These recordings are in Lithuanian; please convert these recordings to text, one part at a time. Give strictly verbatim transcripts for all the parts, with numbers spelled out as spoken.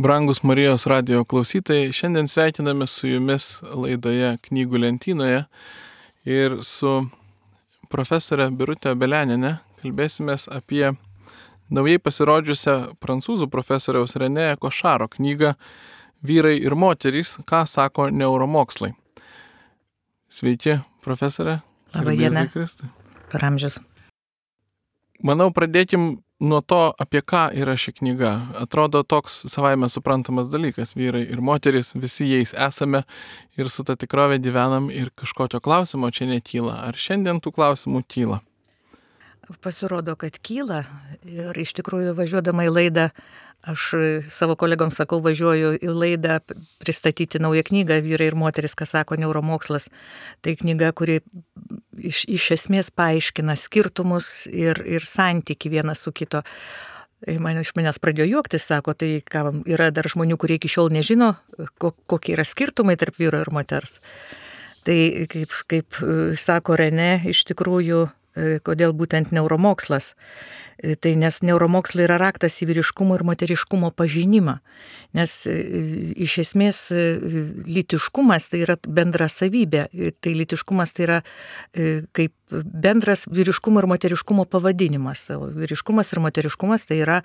Brangus Marijos radijo klausytojai, šiandien sveikiname su jumis laidoje Knygų lentynoje ir su profesorė Birutė Belianienė kalbėsimės apie naujai pasirodžiusią prancūzų profesoriaus René Košaro knygą Vyrai ir moterys, ką sako neuromokslai. Sveiki, profesorė. Labą dieną. Kristui. Per amžius. Manau, pradėkim nuo to, apie ką yra ši knyga. Atrodo toks savaime suprantamas dalykas. Vyrai ir moterys, visi jais esame ir su ta tikrovė gyvenam ir kažkokio klausimo čia nekyla. Ar šiandien tų klausimų kyla? Pasirodo, kad kyla ir iš tikrųjų važiuodama į laidą, aš savo kolegoms sakau, važiuoju į laidą pristatyti naują knygą Vyrai ir moteris, ką sako neuromokslas. Tai knyga, kuri iš, iš esmės paaiškina skirtumus ir, ir santyki vienas su kito. Man iš manęs pradėjo juoktis, sako, tai ką, yra dar žmonių, kurie iki šiol nežino, kokie yra skirtumai tarp vyro ir moters. Tai kaip, kaip sako René, iš tikrųjų, kodėl būtent neuromokslas. Tai nes neuromokslai yra raktas į vyriškumo ir moteriškumo pažinimą. Nes iš esmės lytiškumas tai yra bendra savybė. Tai lytiškumas tai yra kaip bendras vyriškumo ir moteriškumo pavadinimas. Vyriškumas ir moteriškumas tai yra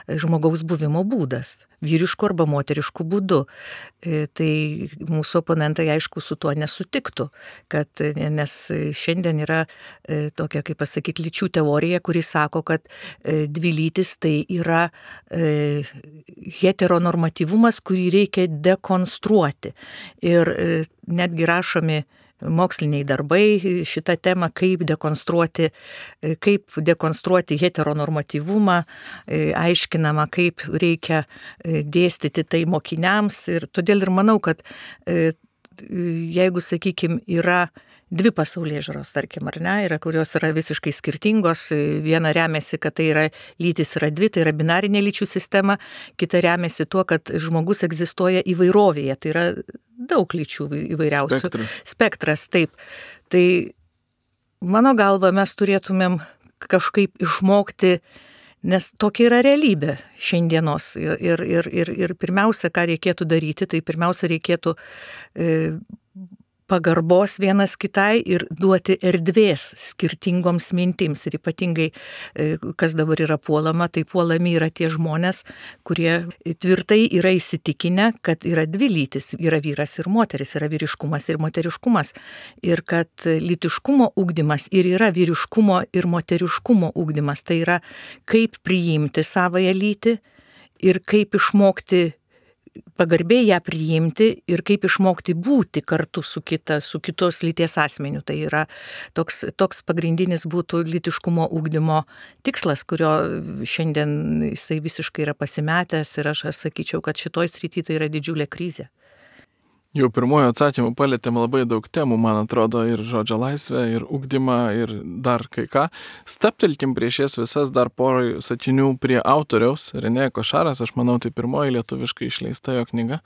žmogaus buvimo būdas. Vyrišku arba moterišku būdu. Tai mūsų oponentai aišku su tuo nesutiktų. Kad, nes šiandien yra tokia, kaip pasakyti, lyčių teorija, kuri sako, kad dvi lytis tai yra e, heteronormatyvumas, kurį reikia dekonstruoti. Ir e, netgi rašomi moksliniai darbai šitą temą, kaip dekonstruoti, e, kaip dekonstruoti heteronormatyvumą, e, aiškinama, kaip reikia e, dėstyti tai mokiniams. Ir todėl ir manau, kad e, jeigu, sakykime, yra dvi pasaulėžiūros, tarkim, ar ne, yra, kurios yra visiškai skirtingos. Viena remiasi, kad tai yra lytis yra dvi, tai yra binarinė lyčių sistema, kita remiasi tuo, kad žmogus egzistuoja įvairovėje, tai yra daug lyčių įvairiausių. Spektras. Spektras, taip. Tai mano galva mes turėtumėm kažkaip išmokti, nes tokia yra realybė šiandienos. Ir, ir, ir, ir, ir pirmiausia, ką reikėtų daryti, tai pirmiausia reikėtų e, pagarbos vienas kitai ir duoti erdvės skirtingoms mintims. Ir ypatingai, kas dabar yra puolama, tai puolami yra tie žmonės, kurie tvirtai yra įsitikinę, kad yra dvi lytis, yra vyras ir moteris, yra vyriškumas ir moteriškumas. Ir kad lytiškumo ugdymas ir yra vyriškumo ir moteriškumo ugdymas. Tai yra kaip priimti savąją lytį ir kaip išmokti pagarbiai ją priimti ir kaip išmokti būti kartu su kita, su kitos lyties asmeniu. Tai yra toks, toks pagrindinis būtų lytiškumo ugdymo tikslas, kurio šiandien jisai visiškai yra pasimetęs ir aš, aš sakyčiau, kad šitoj srity tai yra didžiulė krizė. Jau pirmojo atsakymu palėtėm labai daug temų, man atrodo, ir žodžio laisvę, ir ugdymą, ir dar kai ką. Staptelkim prieš jas visas dar porą sakinių prie autoriaus, René Košaras, aš manau, tai pirmoji lietuviškai išleista jo knyga.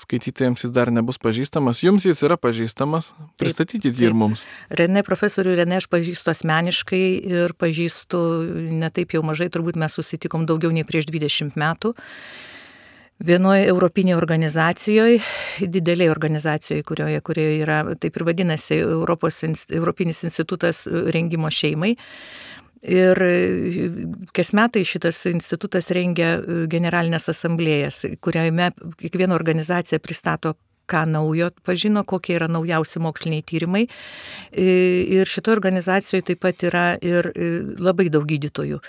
Skaitytojams jis dar nebus pažįstamas, jums jis yra pažįstamas, pristatykit jį ir mums. René, profesorių René aš pažįstu asmeniškai ir pažįstu ne taip jau mažai, turbūt mes susitikom daugiau nei prieš dvidešimt metų. Vienoje europinėje organizacijoje, didelėje organizacijoje, kurioje, kurioje yra, taip ir vadinasi, Europos, Europinis institutas rengimo šeimai. Ir kas metai šitas institutas rengia generalinės asamblėjas, kuriame kiekviena organizacija pristato, ką naujo pažino, kokie yra naujausi moksliniai tyrimai. Ir šitoje organizacijoje taip pat yra ir labai daug gydytojų.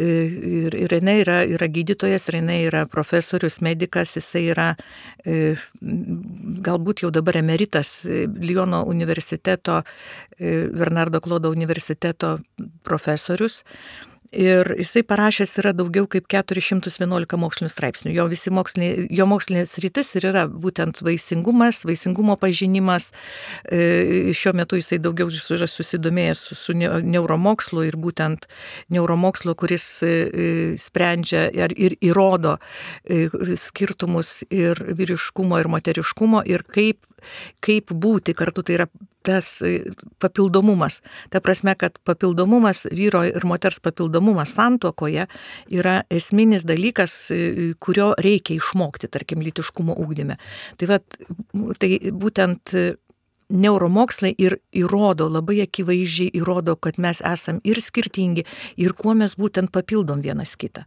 Ir René yra, yra gydytojas, René yra profesorius, medikas, jisai yra galbūt jau dabar emeritas Liono universiteto, Bernardo Klodo universiteto profesorius. Ir jisai parašęs yra daugiau kaip keturi šimtai vienuolika mokslinių straipsnių. Jo, visi mokslinė, jo mokslinės rytis ir yra būtent vaisingumas, vaisingumo pažinimas. E, šiuo metu jisai daugiau yra susidomėjęs su, su neuromokslu ir būtent neuromokslo, kuris e, sprendžia ir, ir įrodo e, skirtumus ir vyriškumo ir moteriškumo ir kaip kaip būti kartu, tai yra tas papildomumas. Ta prasme, kad papildomumas, vyro ir moters papildomumas santuokoje yra esminis dalykas, kurio reikia išmokti, tarkim, lytiškumo ugdyme. Tai, vat, tai būtent neuromokslai ir įrodo, labai akivaizdžiai įrodo, kad mes esam ir skirtingi, ir kuo mes būtent papildom vienas kitą.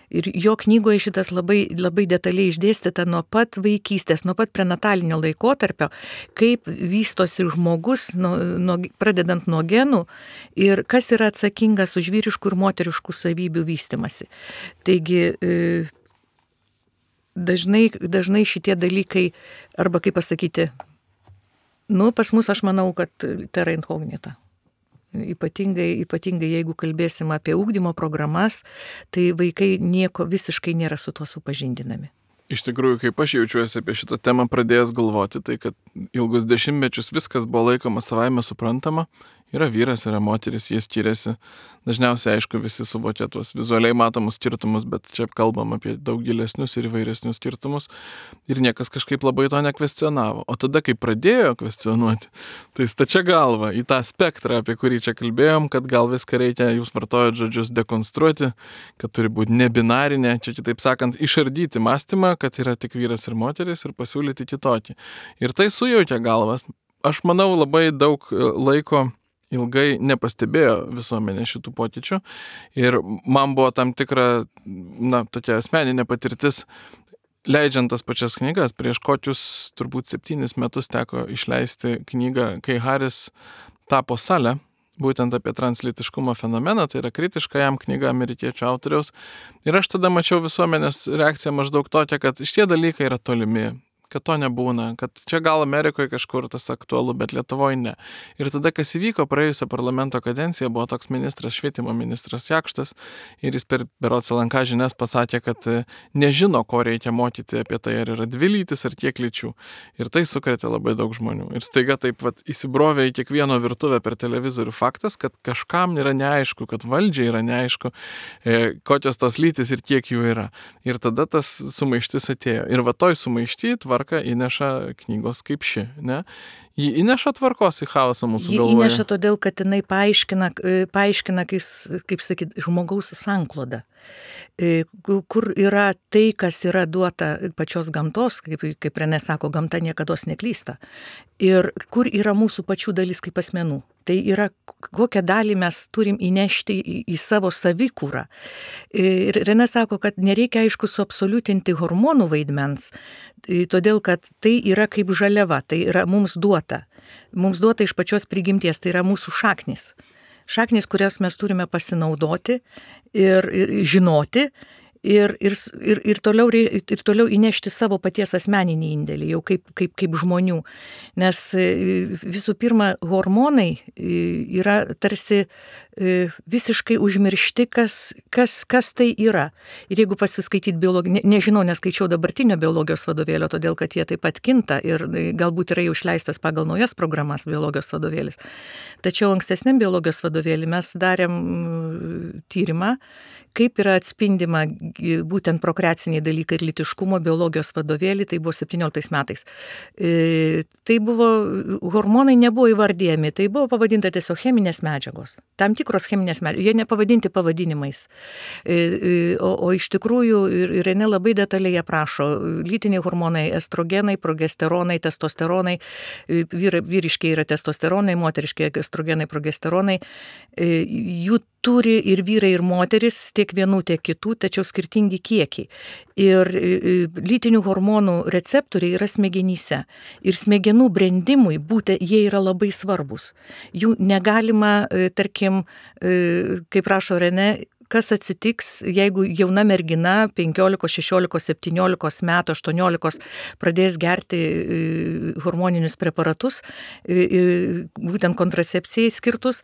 Ir jo knygoje šitas labai, labai detaliai išdėstyta nuo pat vaikystės, nuo pat prenatalinio laikotarpio, kaip vystosi žmogus, nuo, nuo, pradedant nuo genų ir kas yra atsakingas už vyriškų ir moteriškų savybių vystimasi. Taigi dažnai, dažnai šitie dalykai, arba kaip pasakyti, nu, pas mus aš manau, kad terra incognita. Ypatingai, ypatingai jeigu kalbėsim apie ugdymo programas, tai vaikai nieko visiškai nėra su tuo supažindinami. Iš tikrųjų, kaip aš jaučiuosi apie šitą temą pradėjęs galvoti, tai kad ilgus dešimtmečius viskas buvo laikoma savaime suprantama. Yra vyras, yra moteris, jie skiriasi. Dažniausiai, aišku, visi suvokia tuos vizualiai matomus skirtumus, bet čia kalbam apie daug gilesnius ir įvairesnius skirtumus. Ir niekas kažkaip labai to nekvestionavo. O tada, kai pradėjo kvestionuoti, tai stačia galva į tą spektrą, apie kurį čia kalbėjom, kad gal viską reikia, jūs vartojat žodžius, dekonstruoti, kad turi būti nebinarinė, čia kitaip sakant, išardyti mąstymą, kad yra tik vyras ir moteris ir pasiūlyti kitokį. Ir tai sujaukia galvas. Aš manau, labai daug laiko ilgai nepastebėjo visuomenė šitų pokyčių ir man buvo tam tikra, na, tokia asmeninė patirtis, leidžiant tas pačias knygas. Prieš kokius turbūt septynis metus teko išleisti knygą, kai Haris tapo Sale, būtent apie translytiškumo fenomeną, tai yra kritiška jam knyga amerikiečių autoriaus. Ir aš tada mačiau visuomenės reakciją maždaug tokia, kad šitie dalykai yra tolimi, kad to nebūna, kad čia gal Amerikoje kažkur tas aktualu, bet Lietuvoje ne. Ir tada, kas įvyko praėjusią parlamento kadenciją, buvo toks ministras, švietimo ministras Jakštas, ir jis per berods L N K žinias pasakė, kad nežino, ko reikia mokyti apie tai, ar yra dvi lytis, ar kiek lyčių. Ir tai sukrėtė labai daug žmonių. Ir staiga taip vat įsibrovė į kiekvieno virtuvę per televizorių faktas, kad kažkam yra neaišku, kad valdžiai yra neaišku, e, kokios tos lytis ir kiek jų yra. Ir tada tas sumaištis atėjo. Ir va toj sumaišty tvarka įneša knygos kaip ši, ne? Ji įneša tvarkos į chaosą mūsų Ji galvoje. Ji įneša todėl, kad jinai paaiškina, paaiškina kaip, kaip sakyt, žmogaus sanklodą, kur yra tai, kas yra duota pačios gamtos, kaip, kaip Renė sako, gamta niekados neklysta, ir kur yra mūsų pačių dalis kaip asmenų. Tai yra, kokią dalį mes turim įnešti į, į savo savikūrą. Ir Renė sako, kad nereikia, aišku, suabsoliutinti hormonų vaidmens, todėl, kad tai yra kaip žaliava, tai yra mums duota. Mums duota iš pačios prigimties, tai yra mūsų šaknis. Šaknis, kurias mes turime pasinaudoti ir, ir žinoti. Ir, ir, ir, ir, toliau, ir toliau įnešti savo paties asmeninį indėlį, jau kaip, kaip, kaip žmonių. Nes visų pirma, hormonai yra tarsi visiškai užmiršti, kas, kas, kas tai yra. Ir jeigu pasiskaityti biologiją, ne, nežinau, neskaičiau dabartinio biologijos vadovėlio, todėl kad jie taip pat kinta ir galbūt yra jau išleistas pagal naujas programas biologijos vadovėlis. Tačiau ankstesniam biologijos vadovėlį mes darėm tyrimą, kaip yra atspindima būtent prokreaciniai dalykai ir lytiškumo biologijos vadovėlį, tai buvo septynioliktais metais. E, tai buvo, hormonai nebuvo įvardėjami, tai buvo pavadinta tiesiog cheminės medžiagos. Tam tikros cheminės medžiagos, jie nepavadinti pavadinimais. E, e, o, o iš tikrųjų, ir, ir Renė labai detaliai aprašo, lytiniai hormonai, estrogenai, progesteronai, testosteronai, vyr, vyriškiai yra testosteronai, moteriškiai estrogenai, progesteronai, e, jų turi ir vyrai, ir moteris, tiek vienų, tiek kitų, tačiau skirtingi kiekiai. Ir lytinių hormonų receptoriai yra smegenyse. Ir smegenų brendimui būtent jie yra labai svarbus. Jų negalima, tarkim, kaip rašo Renė, kas atsitiks, jeigu jauna mergina penkiolikos, šešiolikos, septyniolikos metų, aštuoniolikos pradės gerti hormoninius preparatus, būtent kontracepcijai skirtus,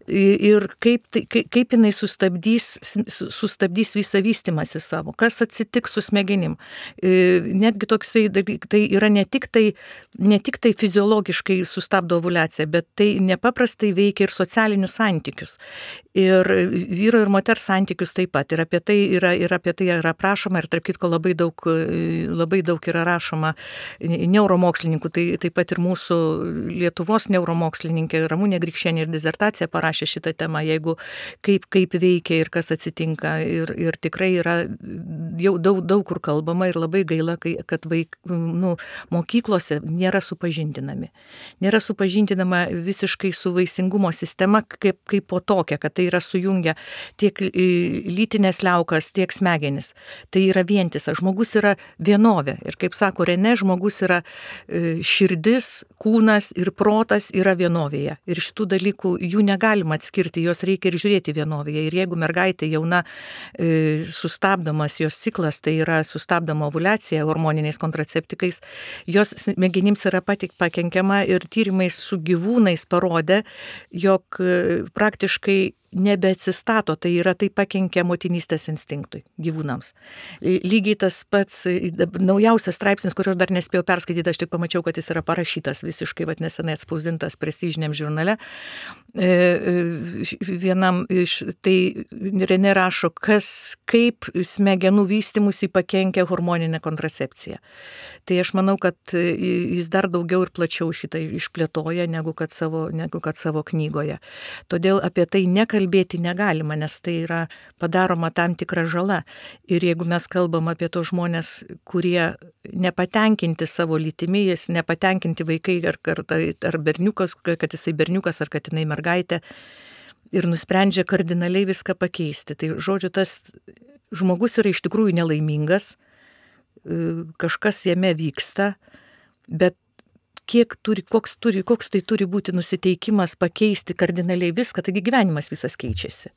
ir kaip, kaip, kaip jinai sustabdys, sustabdys visą vystymąsi savo, kas atsitiks su smegenim. Netgi toksai, tai yra ne tik tai, ne tik tai fiziologiškai sustabdo ovuliaciją, bet tai nepaprastai veikia ir socialinius santykius. Ir vyro ir moters santykius taip pat. Ir apie tai yra, ir apie tai yra rašoma, ir tarp kitko labai daug, labai daug yra rašoma neuromokslininkų. Tai taip pat ir mūsų Lietuvos neuromokslininkė Ramunė Grikšienė ir disertaciją parašė šitą temą, jeigu kaip, kaip veikia ir kas atsitinka. Ir, ir tikrai yra jau daug, daug kur kalbama ir labai gaila, kai, kad vaik, nu, mokyklose nėra supažindinami. Nėra supažindinama visiškai su vaisingumo sistema kaip, kaip po tokia, kad tai yra sujungia tiek lytinės liaukas, tiek smegenis. Tai yra vientisas. Žmogus yra vienovė. Ir kaip sako Renė, žmogus yra širdis, kūnas ir protas yra vienovėje. Ir šitų dalykų jų negalima atskirti, jos reikia ir žiūrėti vienovėje. Ir jeigu mergaitė jauna sustabdomas jos ciklas, tai yra sustabdoma ovuliacija hormoniniais kontraceptikais, jos smegenims yra patik pakenkiama ir tyrimai su gyvūnais parodė, jog praktiškai nebeatsistato, tai yra tai pakenkia motinystės instinktui gyvūnams. Lygiai tas pats naujausias straipsnis, kurio dar nespėjau perskaityti, aš tik pamačiau, kad jis yra parašytas visiškai, vat nesenai atspausdintas prestižiniam žurnale. Vienam iš, tai Renė rašo, kas, kaip smegenų vystymusi pakenkia hormoninė kontracepcija. Tai aš manau, kad jis dar daugiau ir plačiau šitą išplėtoja, negu kad savo, negu kad savo knygoje. Todėl apie tai nekalbėti negalima, nes tai yra padaroma tam tikra žala. Ir jeigu mes kalbam apie tos žmonės, kurie nepatenkinti savo lytimi, jis nepatenkinti vaikai ar, ar, ar berniukas, kad jisai berniukas ar kad jinai mergaitė, ir nusprendžia kardinaliai viską pakeisti. Tai žodžiu, tas žmogus yra iš tikrųjų nelaimingas, kažkas jame vyksta, bet kiek turi, koks, turi, koks tai turi būti nusiteikimas pakeisti kardinaliai viską, taigi gyvenimas visas keičiasi.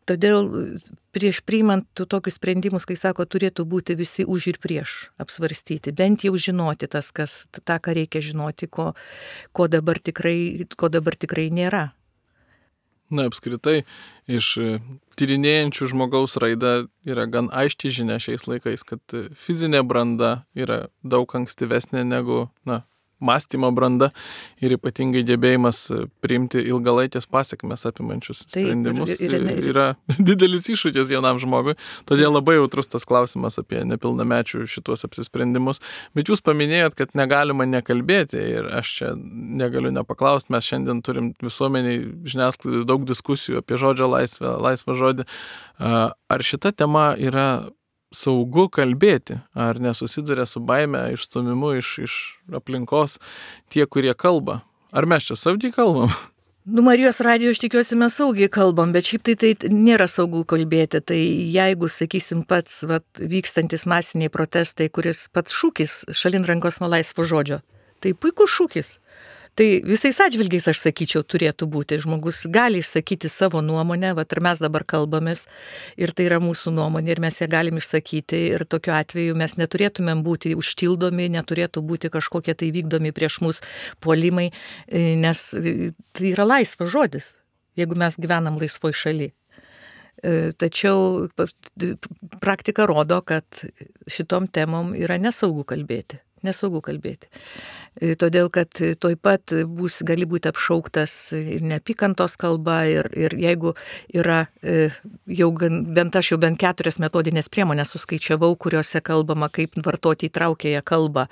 Todėl prieš priimant tokius sprendimus, kai sako, turėtų būti visi už ir prieš apsvarstyti, bent jau žinoti tas, kas, tą, ką reikia žinoti, ko, ko, dabar tikrai, ko dabar tikrai nėra. Na, apskritai, iš tyrinėjančių žmogaus raidą yra gan aiški žinia šiais laikais, kad fizinė branda yra daug ankstyvesnė negu, na, mąstymo branda ir ypatingai gebėjimas priimti ilgalaikės pasekmes apimančius sprendimus. Taip, ir, ir, ir, yra didelis iššūkis jaunam žmogui, todėl labai jautrus tas klausimas apie nepilnamečių šitos apsisprendimus. Bet jūs paminėjot, kad negalima nekalbėti ir aš čia negaliu nepaklausti, mes šiandien turim visuomeniai žiniasklaidai daug diskusijų apie žodžio laisvę, laisvą žodį. Ar šita tema yra saugu kalbėti, ar nesusiduria su baime, išstumimu iš, iš aplinkos tie, kurie kalba? Ar mes čia saugiai kalbam? Nu, Marijos radijo, aš tikiuosi, mes saugiai kalbam, bet šiaip tai, tai nėra saugu kalbėti. Tai jeigu, sakysim, pats vat, vykstantis masiniai protestai, kuris pats šūkis šalin rankos nuo laisvo žodžio, tai puikus šūkis. Tai visais atžvilgiais, aš sakyčiau, turėtų būti. Žmogus gali išsakyti savo nuomonę, vat ir mes dabar kalbamės, ir tai yra mūsų nuomonė, ir mes ją galim išsakyti, ir tokiu atveju mes neturėtumėm būti užtildomi, neturėtų būti kažkokie tai vykdomi prieš mus puolimai, nes tai yra laisvas žodis, jeigu mes gyvenam laisvoj šaly. Tačiau praktika rodo, kad šitom temom yra nesaugu kalbėti. Nesaugu kalbėti. Todėl, kad toj pat bus, gali būti apšauktas ir neapykantos kalba, ir, ir jeigu yra jau bent aš jau bent keturias metodinės priemonės suskaičiavau, kuriuose kalbama, kaip vartoti įtraukiąją kalbą.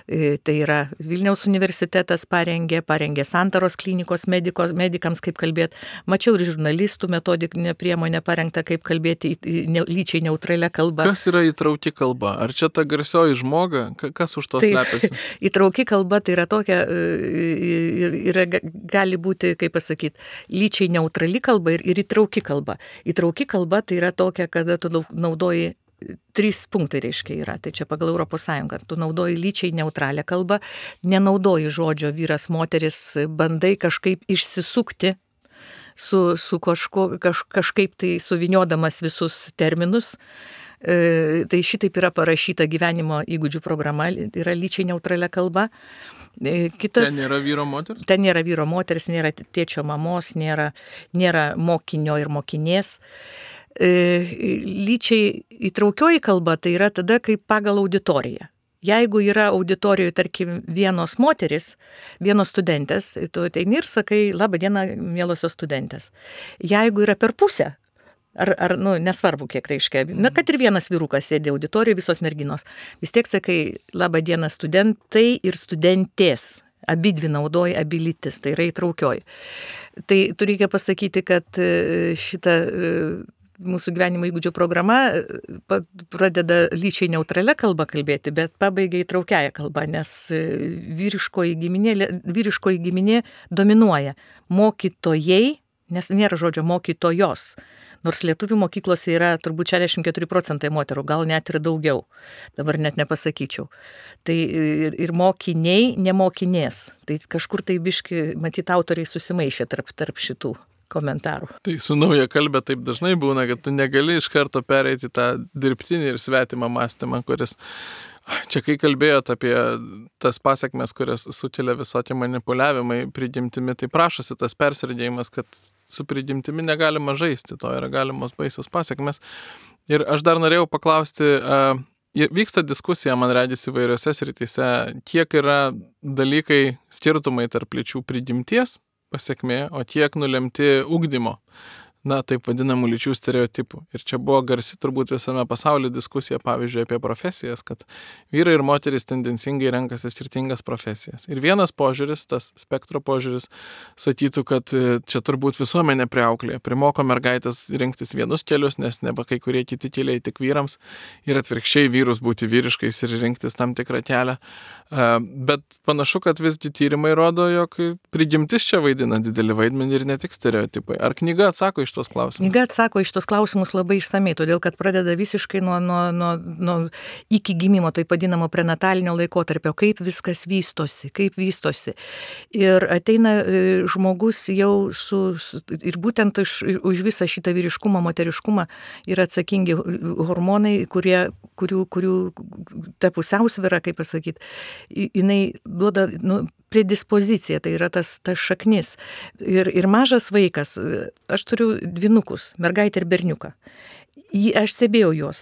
Tai yra Vilniaus universitetas parengė, parengė Santaros klinikos medikos, medikams, kaip kalbėti. Mačiau ir žurnalistų metodinę priemonę parengtą, kaip kalbėti lyčiai neutralią kalbą. Kas yra įtrauki kalba? Ar čia ta garsioji žmoga? Kas už to slepiasi? Tai, įtrauki kalba tai yra tokia, yra, gali būti, kaip pasakyti, lyčiai neutrali kalba ir, ir įtrauki kalba. Įtrauki kalba tai yra tokia, kada tu naudoji, trys punktai reiškia yra, tai čia pagal Europos Sąjungą, tu naudoji lyčiai neutralią kalbą, nenaudoji žodžio vyras, moteris, bandai kažkaip išsisukti su, su kažko, kaž, kažkaip tai suviniodamas visus terminus. Tai šitaip yra parašyta gyvenimo įgūdžių programa, yra lyčiai neutralia kalba. Kitas, ten nėra vyro moteris? Ten nėra vyro moteris, nėra tėčio mamos, nėra, nėra mokinio ir mokinės. Lyčiai įtraukioji kalba tai yra tada, kaip pagal auditoriją. Jeigu yra auditorijoje, tarkim, vienos moteris, vienos studentės, tu ateini ir sakai, laba diena, mielosios studentės. Jeigu yra per pusę, Ar, ar nu, nesvarbu, kiek reiškia. Na, kad ir vienas vyrukas sėdė auditorijoje, visos merginos. Vis tiek sakai, laba diena studentai ir studentės. Abi dvi naudoja, abi lytis, tai yra įtraukioji. Tai turiu reikia pasakyti, kad šita mūsų gyvenimo įgūdžių programa pradeda lyčiai neutralia kalba kalbėti, bet pabaigia įtraukiaja kalba, nes vyriškoji giminė, vyriškoji giminė dominuoja. Mokytojai, nes nėra žodžio mokytojos. Nors lietuvių mokyklose yra turbūt šešiasdešimt keturi procentai moterų, gal net ir daugiau, dabar net nepasakyčiau. Tai ir, ir mokiniai, nemokinės. Tai kažkur tai biški, matyt, autoriai susimaišė tarp, tarp šitų komentarų. Tai su nauja kalbė taip dažnai būna, kad tu negali iš karto pereiti tą dirbtinį ir svetimą mąstymą, kuris... Čia kai kalbėjot apie tas pasekmes, kurias sukelia visokie manipuliavimai prigimtimi, tai prašosi tas persirėdėjimas, kad su prigimtimi negalima žaisti, to yra galimos baisios pasekmes. Ir aš dar norėjau paklausti, uh, vyksta diskusija, man regis, įvairiose srityse, kiek yra dalykai skirtumai tarp lyčių prigimties pasekmė, o kiek nulemti ugdymo. Na, taip vadinamų lyčių stereotipų. Ir čia buvo garsi turbūt visame pasaulyje diskusija, pavyzdžiui, apie profesijas, kad vyrai ir moterys tendencingai renkasi skirtingas profesijas. Ir vienas požiūris, tas spektro požiūris, sakytų, kad čia turbūt visuomenė priauklėje, primoko mergaitės rinktis vienus kelius, nes neba kai kurie kiti keliai tik vyrams, ir atvirkščiai vyrus būti vyriškais ir rinktis tam tikrą kelią. Bet panašu, kad visgi tyrimai rodo, jog prigimtis čia vaidina didelį vaidmenį ir ne tik stereotipai. Ar knyga atsako iš tos klausimus? Knyga atsako iš tos klausimus labai išsamei, todėl kad pradeda visiškai nuo, nuo, nuo, nuo iki gimimo, tai vadinamo prenatalinio laikotarpio, kaip viskas vystosi, kaip vystosi. Ir ateina žmogus jau su, su ir būtent už, už visą šitą vyriškumą, moteriškumą yra atsakingi hormonai, kurie, kurių, kurių ta pusiausvyra, kaip pasakyti, jinai duoda, nu, predispoziciją, tai yra tas, tas šaknis. Ir, ir mažas vaikas, aš turiu dvynukus, mergaitę ir berniuką. Aš stebėjau juos.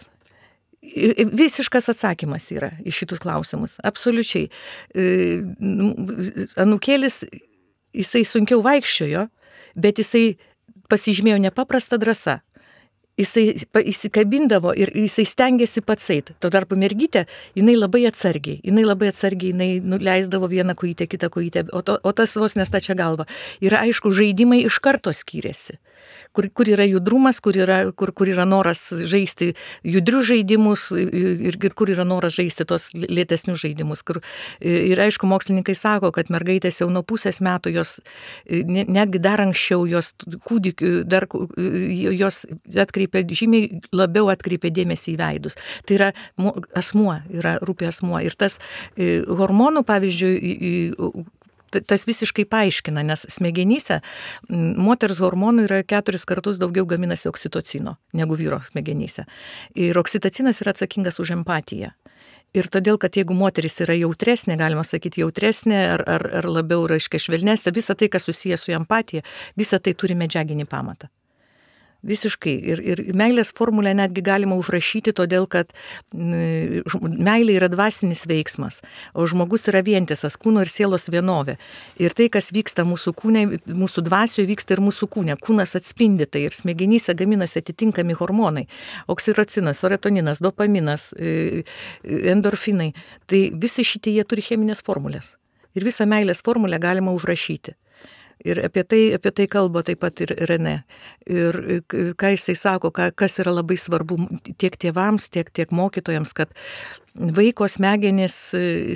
Visiškas atsakymas yra į šitus klausimus. Absoliučiai. Anūkėlis, jisai sunkiau vaikščiojo, bet jisai pasižymėjo nepaprastą drąsą. Jisai įsikabindavo ir jisai stengiasi pats eit. Tuo tarpu mergytė, jinai labai atsargiai, jinai labai atsargiai, jinai nuleisdavo vieną kojytę, kitą kojytę, o, to, o tas vos nestačia galva. Ir aišku, žaidimai iš karto skyrėsi. Kur, kur yra judrumas, kur yra, kur, kur yra noras žaisti judrius žaidimus ir, ir kur yra noras žaisti tos lėtesnius žaidimus. Kur, ir aišku, mokslininkai sako, kad mergaitės jau nuo pusės metų, jos, netgi dar anksčiau, jos kūdikių, dar jos atkreipia, žymiai labiau atkreipia dėmesį į veidus. Tai yra asmuo, yra rūpi asmuo. Ir tas hormonų, pavyzdžiui, tas visiškai paaiškina, nes smegenyse moters hormonų yra keturis kartus daugiau gaminasi oksitocino negu vyro smegenyse. Ir oksitocinas yra atsakingas už empatiją. Ir todėl, kad jeigu moteris yra jautresnė, galima sakyti jautresnė ar, ar, ar labiau, reiškia, švelnesnė, visa tai, kas susijęs su empatija, visa tai turi medžiaginį pamatą. Visiškai. Ir, ir meilės formulę netgi galima užrašyti, todėl kad meilė yra dvasinis veiksmas, o žmogus yra vientisas, kūno ir sielos vienovė. Ir tai, kas vyksta mūsų kūne, mūsų dvasioje, vyksta ir mūsų kūne. Kūnas atspindi tai ir smegenyse gaminasi atitinkami hormonai. Oksitocinas, seratoninas, dopaminas, endorfinai. Tai visi šitie jie turi cheminės formulės. Ir visą meilės formulę galima užrašyti. Ir apie tai, apie tai kalba taip pat ir Renė. Ir ką jisai sako, kas yra labai svarbu tiek tėvams, tiek, tiek mokytojams, kad vaiko smegenys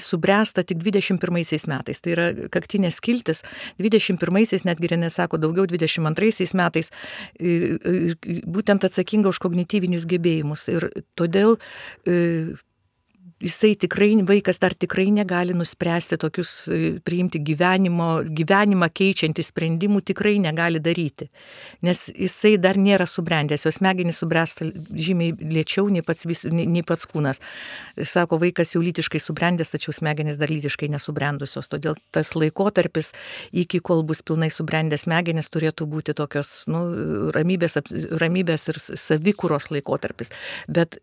subręsta tik dvidešimt pirmaisiais metais. Tai yra kaktinės skiltis. dvidešimt pirmaisiais, netgi Renė sako, daugiau dvidešimt antraisiais metais, būtent atsakinga už kognityvinius gebėjimus. Ir todėl jisai tikrai, vaikas dar tikrai negali nuspręsti tokius, priimti gyvenimo, gyvenimą keičiantį sprendimų, tikrai negali daryti. Nes jisai dar nėra subrendęs, jos smegenys subręsta žymiai lėčiau nei pats, vis, nei, nei pats kūnas. Sako, vaikas jau lytiškai subrendęs, tačiau smegenys dar lytiškai nesubrendusios. Todėl tas laikotarpis, iki kol bus pilnai subrendęs smegenys, turėtų būti tokios, nu, ramybės, ramybės ir savikūros laikotarpis. Bet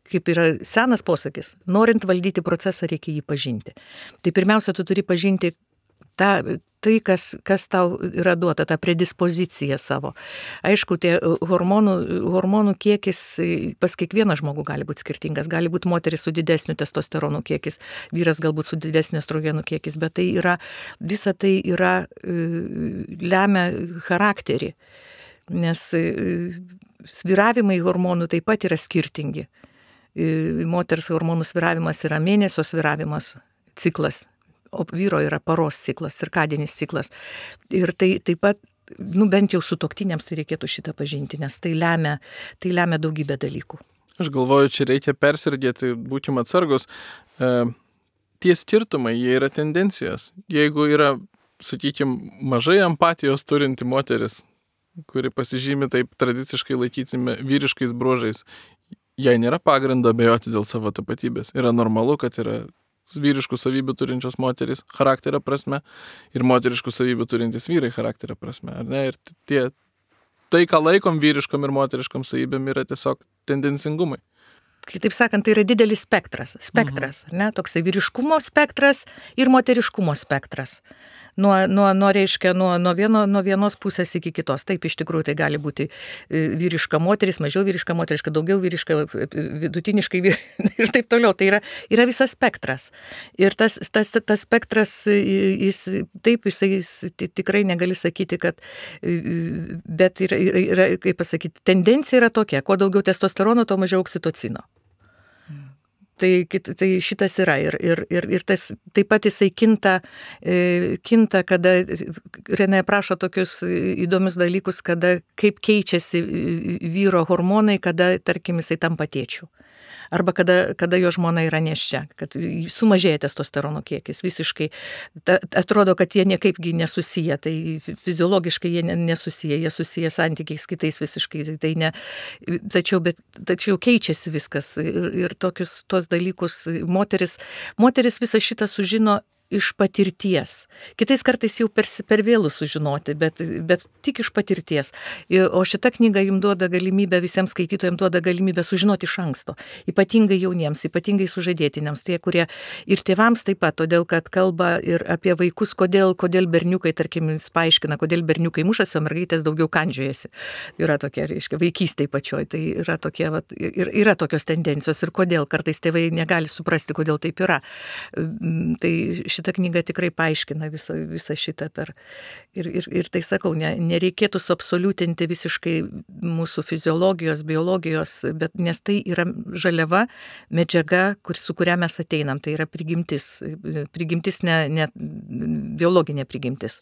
kaip yra senas posakis, norint valdyti procesą, reikia jį pažinti. Tai pirmiausia, tu turi pažinti tą, tai, kas, kas tau yra duota, ta predispozicija savo. Aišku, tie hormonų, hormonų kiekis pas kiekvieną žmogų gali būti skirtingas. Gali būti moteris su didesniu testosteronų kiekis, vyras galbūt su didesniu estrogenų kiekis, bet tai yra, visa tai yra, lemia charakterį, nes svyravimai hormonų taip pat yra skirtingi. Moters hormonų svyravimas yra mėnesio svyravimas, ciklas, o vyro yra paros ciklas, cirkadinis ciklas. Ir tai taip pat, nu bent jau sutuoktiniams tai reikėtų šitą pažinti, nes tai lemia, tai lemia daugybę dalykų. Aš galvoju, čia reikia persirgėti, būkim atsargus. E, tie skirtumai, jie yra tendencijos. Jeigu yra, sakykime, mažai empatijos turinti moteris, kuri pasižymi taip tradiciškai laikytime vyriškais bruožais, jai nėra pagrindo abejoti dėl savo tapatybės. Yra normalu, kad yra vyriškų savybių turinčios moterys charakterio prasme ir moteriškų savybių turintys vyrai charakterio prasme. Ar ne? Ir tie, tai, ką laikom vyriškom ir moteriškom savybėm, yra tiesiog tendencingumai. Kitaip sakant, tai yra didelis spektras. Spektras, mhm. ne? Toksai vyriškumo spektras ir moteriškumo spektras. Nuo, nuo, nuo, reiškia, nuo, nuo, vieno, nuo vienos pusės iki kitos. Taip, iš tikrųjų, tai gali būti vyriška moteris, mažiau vyriška moteriška, daugiau vyriška, vidutiniškai vyriška ir taip toliau. Tai yra, yra visas spektras. Ir tas, tas, tas spektras, jis, taip, jis, jis tikrai negali sakyti, kad, bet yra, yra, kaip pasakyti, tendencija yra tokia, kuo daugiau testosterono, tuo mažiau oksitocino. Tai, tai šitas yra ir, ir, ir, ir tas taip pat jisai kinta, kinta, kada Renė prašo tokius įdomius dalykus, kada kaip keičiasi vyro hormonai, kada, tarkim, jisai tampa tėčiu. Arba kada, kada jo žmona yra nėščia, kad sumažėja testosterono kiekis visiškai. Ta, atrodo, kad jie niekaipgi nesusiję, tai fiziologiškai jie nesusiję, jie susiję santykiais kitais visiškai. Tai ne, tačiau, bet, tačiau keičiasi viskas ir, ir tokius tuos dalykus moteris, moteris visą šitą sužino iš patirties. Kitais kartais jau per, per vėlų sužinoti, bet, bet tik iš patirties. O šita knyga jums duoda galimybę, visiems skaitytojams duoda galimybę sužinoti iš anksto. Ypatingai jauniems, ypatingai sužadėtiniams, tie, kurie ir tėvams taip pat, todėl kad kalba ir apie vaikus, kodėl, kodėl berniukai, tarkim, jis paaiškina, kodėl berniukai mušasi, o mergaitės daugiau kandžiojasi. Yra tokia, reiškia, vaikystėje pačioj. Tai yra, tokie, vat, ir, yra tokios tendencijos ir kodėl kartais tėvai negali suprasti, kodėl taip yra. Tai šitą knygą tikrai paaiškina visą, visą šitą per. Ir, ir, ir tai sakau, ne, nereikėtų suabsoliutinti visiškai mūsų fiziologijos, biologijos, bet nes tai yra žaliava, medžiaga, kur, su kuria mes ateinam. Tai yra prigimtis. Prigimtis, ne, ne biologinė prigimtis.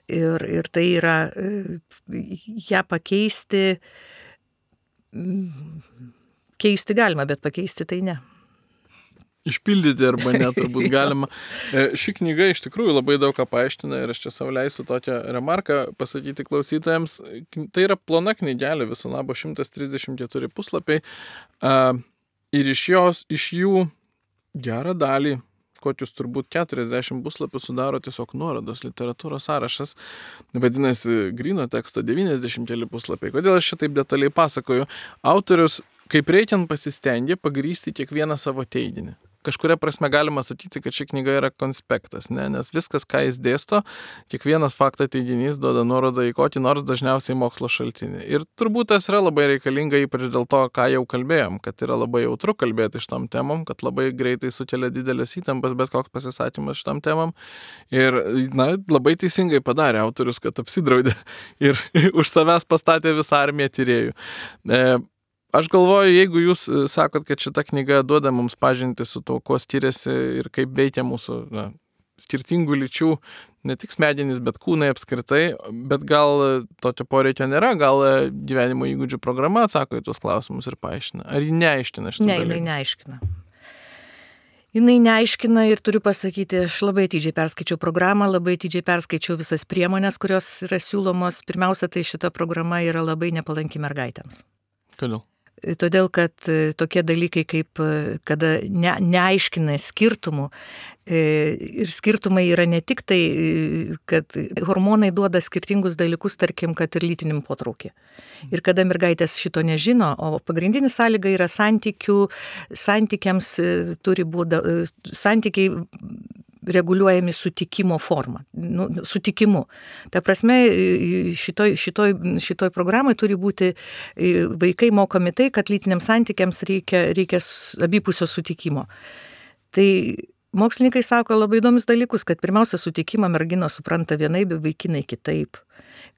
Ir, ir tai yra ją pakeisti, keisti galima, bet pakeisti tai ne. Išpildyti arba ne, turbūt galima. Ši knyga iš tikrųjų labai daug ką paaiškina ir aš čia savo leisiu tokią remarką pasakyti klausytojams. Tai yra plona knygelė, viso labo šimtas trisdešimt keturi puslapiai ir iš, jos, iš jų gerą dalį, kokius turbūt keturiasdešimt puslapių sudaro tiesiog nuorodos, literatūros sąrašas, vadinasi gryno teksto devyniasdešimt keli puslapiai. Kodėl aš šitaip detaliai pasakoju? Autorius kaip reikiant pasistengė pagrįsti kiekvieną savo teiginį. Kažkuria prasme galima sakyti, kad ši knyga yra konspektas, ne? Nes viskas, ką jis dėsto, kiekvienas fakto teiginys duoda nuorodą į kokį nors dažniausiai mokslo šaltinį. Ir turbūt tas yra labai reikalinga, ypač dėl to, ką jau kalbėjom, kad yra labai jautru kalbėti šitam temom, kad labai greitai sukelia didelės įtampas bet koks pasisakymas šitam temam. Ir na, labai teisingai padarė autorius, kad apsidraudė ir už savęs pastatė visą armiją tyrėjų. E, Aš galvoju, jeigu jūs sakot, kad šita knyga duoda mums pažinti su to, kuo skiriasi ir kaip veikia mūsų na, skirtingų lyčių, ne tik smegenys, bet kūnai apskritai, bet gal tokio poreikio nėra, gal gyvenimo įgūdžių programa atsako į tuos klausimus ir paaiškina. Ar ji neaiškina šitų dalykų? Ne, jinai neaiškina. Jinai neaiškina ir turiu pasakyti, aš labai atidžiai perskaičiau programą, labai atidžiai perskaičiau visas priemonės, kurios yra siūlomos. Pirmiausia, tai šita programa yra labai nepalanki mergaitėms. Kodėl? Todėl, kad tokie dalykai, kaip kada ne, neaiškina skirtumų, ir skirtumai yra ne tik tai, kad hormonai duoda skirtingus dalykus, tarkim, kad ir lytiniam potraukį. Ir kada mergaitės šito nežino, o pagrindinis sąlyga yra santykių, santykiams turi būti, santykiai reguliuojami sutikimo forma, nu, sutikimu. Ta prasme, šitoj, šitoj, šitoj programai turi būti vaikai mokomi tai, kad lytiniams santykiams reikia, reikia abipusio sutikimo. Tai mokslininkai sako labai įdomius dalykus, kad pirmiausia sutikimą merginos supranta vienaip, vaikinai kitaip.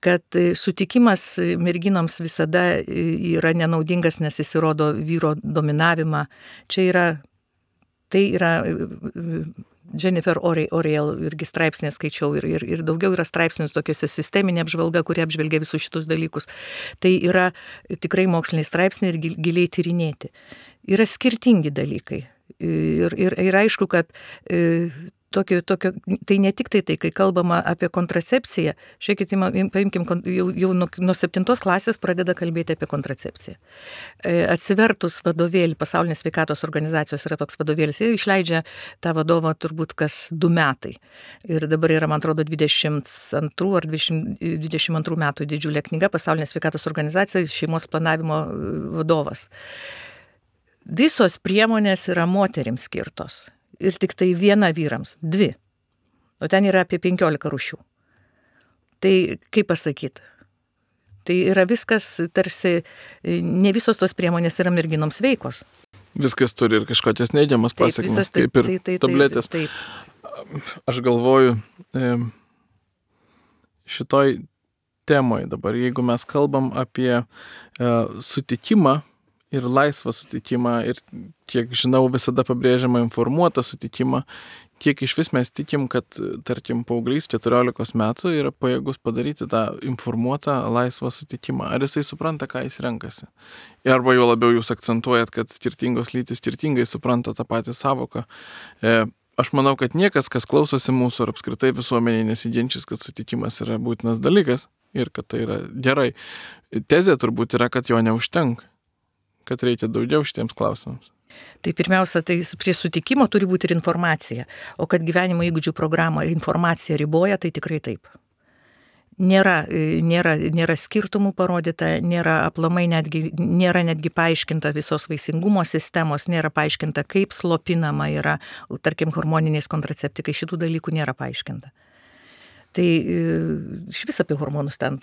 Kad sutikimas merginoms visada yra nenaudingas, nes jis įrodo vyro dominavimą. Čia yra, tai yra Jennifer Oriel irgi straipsnį skaičiau ir, ir, ir daugiau yra straipsnių tokiuose sisteminė apžvalga, kurie apžvelgia visus šitus dalykus. Tai yra tikrai moksliniai straipsniai ir giliai tyrinėti. Yra skirtingi dalykai. Ir, ir, ir aišku, kad e, tokio, tokio, tai ne tik tai tai, kai kalbama apie kontracepciją, žiūrėkit, paimkim, jau, jau nuo, nuo septintos klasės pradeda kalbėti apie kontracepciją. E, atsivertus vadovėlį, Pasaulinės sveikatos organizacijos yra toks vadovėlis, jie išleidžia tą vadovą turbūt kas du metai. Ir dabar yra, man atrodo, dvidešimt antrų ar dvidešimt antrų metų didžiulė knyga Pasaulinės sveikatos organizacija, šeimos planavimo vadovas. Visos priemonės yra moterims skirtos ir tik tai viena vyrams, dvi. O ten yra apie penkiolika rūšių. Tai kaip pasakyti? Tai yra viskas tarsi, ne visos tos priemonės yra merginoms veikos. Viskas turi ir kažkokias neigiamas pasekmes, kaip ir tai, tai, tabletės. Taip, taip. Aš galvoju, šitoj temoj dabar, jeigu mes kalbam apie sutikimą, ir laisvą sutikimą, ir kiek žinau, visada pabrėžiama informuotą sutikimą, kiek iš vis mes tikim, kad, tarkim, paauglys keturiolikos metų yra pajėgus padaryti tą informuotą laisvą sutikimą. Ar jisai supranta, ką jis renkasi? Arba jau labiau jūs akcentuojat, kad skirtingos lytys skirtingai supranta tą patį savoką. E, aš manau, kad niekas, kas klausosi mūsų ar apskritai visuomeniai nesiginčys, kad sutikimas yra būtinas dalykas ir kad tai yra gerai. Tezė turbūt yra, kad jo neužtenka, kad reikia daugiau šitiems klausimams. Tai pirmiausia, tai prie sutikimo turi būti ir informacija. O kad gyvenimo įgūdžių programą informacija riboja, tai tikrai taip. Nėra, nėra, nėra skirtumų parodyta, nėra aplamai netgi, nėra netgi paaiškinta visos vaisingumo sistemos, nėra paaiškinta, kaip slopinama yra, tarkim, hormoniniais kontraceptikai, šitų dalykų nėra paaiškinta. Tai iš vis apie hormonus ten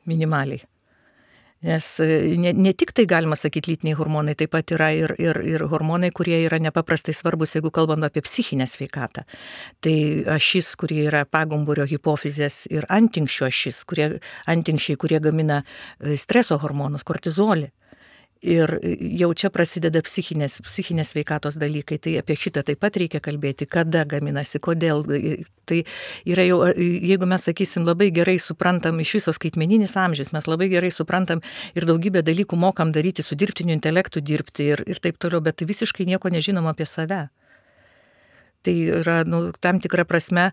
minimaliai. Nes ne, ne tik tai galima sakyti lytiniai hormonai, taip pat yra ir, ir, ir hormonai, kurie yra nepaprastai svarbus, jeigu kalbam apie psichinę sveikatą. Tai ašis, kurie yra pagumburio hipofizės ir antinkščio ašis, kurie, antinkščiai, kurie gamina streso hormonus, kortizolį. Ir jau čia prasideda psichinės, psichinės sveikatos dalykai, tai apie šitą taip pat reikia kalbėti, kada gaminasi, kodėl. Tai yra jau, jeigu mes sakysim, labai gerai suprantam iš viso skaitmeninis amžius, mes labai gerai suprantam ir daugybę dalykų mokam daryti, su dirbtiniu intelektu dirbti ir, ir taip toliau, bet visiškai nieko nežinom apie save. Tai yra, nu, tam tikra prasme,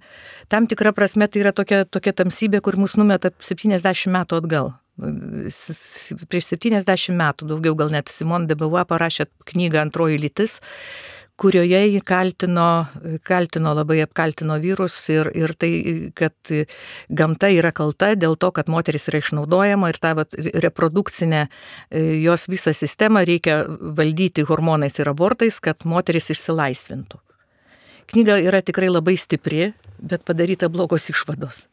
tam tikra prasme tai yra tokia, tokia tamsybė, kur mus numeta septyniasdešimt metų atgal. Prieš septyniasdešimt metų, daugiau gal net, Simone de Beauvoir parašė knygą Antroji lytis, kurioje jį kaltino, kaltino, labai apkaltino vyrus ir, ir tai, kad gamta yra kalta dėl to, kad moteris yra išnaudojama ir tą vat, reprodukcinę jos visą sistemą reikia valdyti hormonais ir abortais, kad moteris išsilaisvintų. Knyga yra tikrai labai stipri, bet padaryta blogos išvados.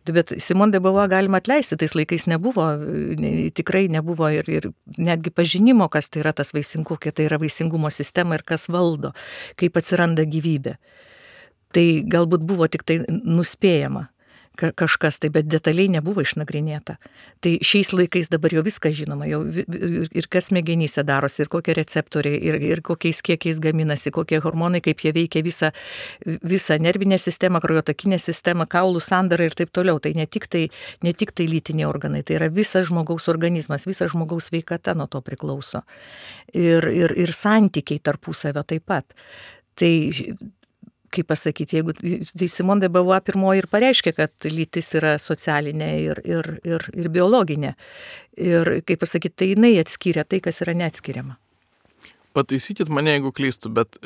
Bet Simone de Beauvoir galima atleisti, tais laikais nebuvo, tikrai nebuvo ir, ir netgi pažinimo, kas tai yra tas vaisingumo, kokia tai yra vaisingumo sistema ir kas valdo, kaip atsiranda gyvybė. Tai galbūt buvo tik tai nuspėjama kažkas, tai bet detaliai nebuvo išnagrinėta. Tai šiais laikais dabar jau viską žinoma, jau ir kas smegenyse darosi, ir kokie receptoriai, ir, ir kokiais kiekiais gaminasi, kokie hormonai, kaip jie veikia visą, visą nervinę sistemą, kraujotakinę sistemą, kaulų sandarą ir taip toliau. Tai ne tik tai, ne tik tai lytiniai organai, tai yra visas žmogaus organizmas, visas žmogaus sveikata nuo to priklauso. Ir, ir, ir santykiai tarpusavio taip pat. Tai kaip pasakyti, jeigu tai Simone de Beauvoir pirmoji ir pareiškė, kad lytis yra socialinė ir, ir, ir, ir biologinė. Ir kaip pasakyti, tai jinai atskiria tai, kas yra neatskiriama. Pataisykit mane, jeigu klystu, bet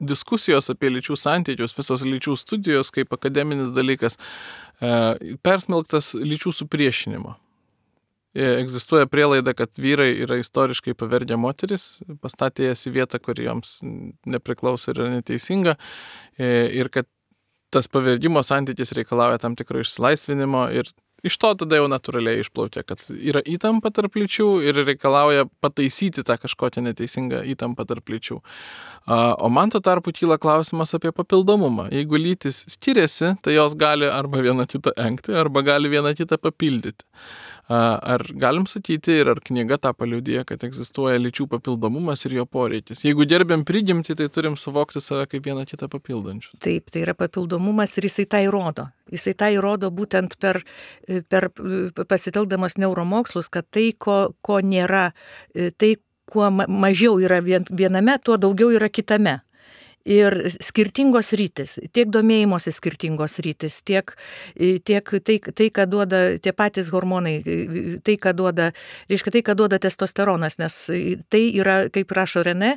diskusijos apie lyčių santykius, visos lyčių studijos kaip akademinis dalykas, persmelktas lyčių supriešinimo. egzistuoja prielaida, kad vyrai yra istoriškai pavergę moteris, pastatė jas į vietą, kur joms nepriklauso ir yra neteisinga, ir kad tas pavergimo santykis reikalauja tam tikro išsilaisvinimo ir iš to tada jau natūraliai išplaukia, kad yra įtampa tarp lyčių ir reikalauja pataisyti tą kažkokią neteisingą įtampą tarp lyčių. O man tuo tarpu kyla klausimas apie papildomumą. Jeigu lytis skiriasi, tai jos gali arba vieną kitą engti, arba gali vieną kitą papildyti. Ar galim sakyti ir ar knyga tą paliudija, kad egzistuoja lyčių papildomumas ir jo poreikis? Jeigu gerbėm prigimtį, tai turim suvokti save kaip vieną kitą papildančių. Taip, tai yra papildomumas ir jisai tą įrodo. Jisai tą įrodo būtent per, per pasitelkdamas neuromokslus, kad tai, ko, ko nėra, tai, kuo mažiau yra viename, tuo daugiau yra kitame. Ir skirtingos rytis, tiek domėjimosi skirtingos rytis, tiek, tiek tai, tai, ką duoda tie patys hormonai, tai, ką duoda, reiškia, tai, ką duoda testosteronas, nes tai yra, kaip rašo René,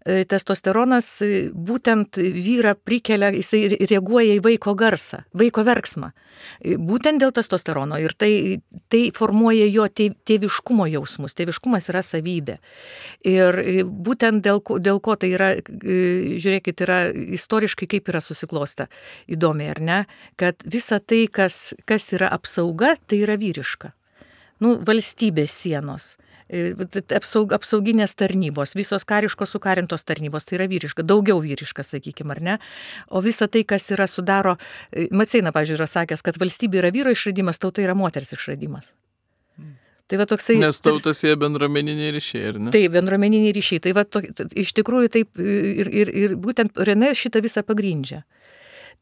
testosteronas būtent vyrą prikelia, jisai reaguoja į vaiko garsą, vaiko verksmą, būtent dėl testosterono ir tai, tai formuoja jo tėviškumo jausmus, tėviškumas yra savybė. Ir būtent dėl, dėl ko tai yra, žiūrėkit, yra istoriškai kaip yra susiklosta įdomiai, ar ne, kad visa tai, kas, kas yra apsauga, tai yra vyriška. Nu, valstybės sienos, apsaug, apsauginės tarnybos, visos kariškos sukarintos tarnybos, tai yra vyriška, daugiau vyriška, sakykime, ar ne. O visa tai, kas yra sudaro, Maceina, pavyzdžiui, yra sakęs, kad valstybė yra vyro išradimas, tauta yra moters išradimas. Tai va toksai, nes tautas jie bendruomeniniai ryšiai, ar ne? Taip, bendruomeniniai ryšiai. Tai va, to, iš tikrųjų taip ir, ir, ir būtent René šitą visą pagrindžia.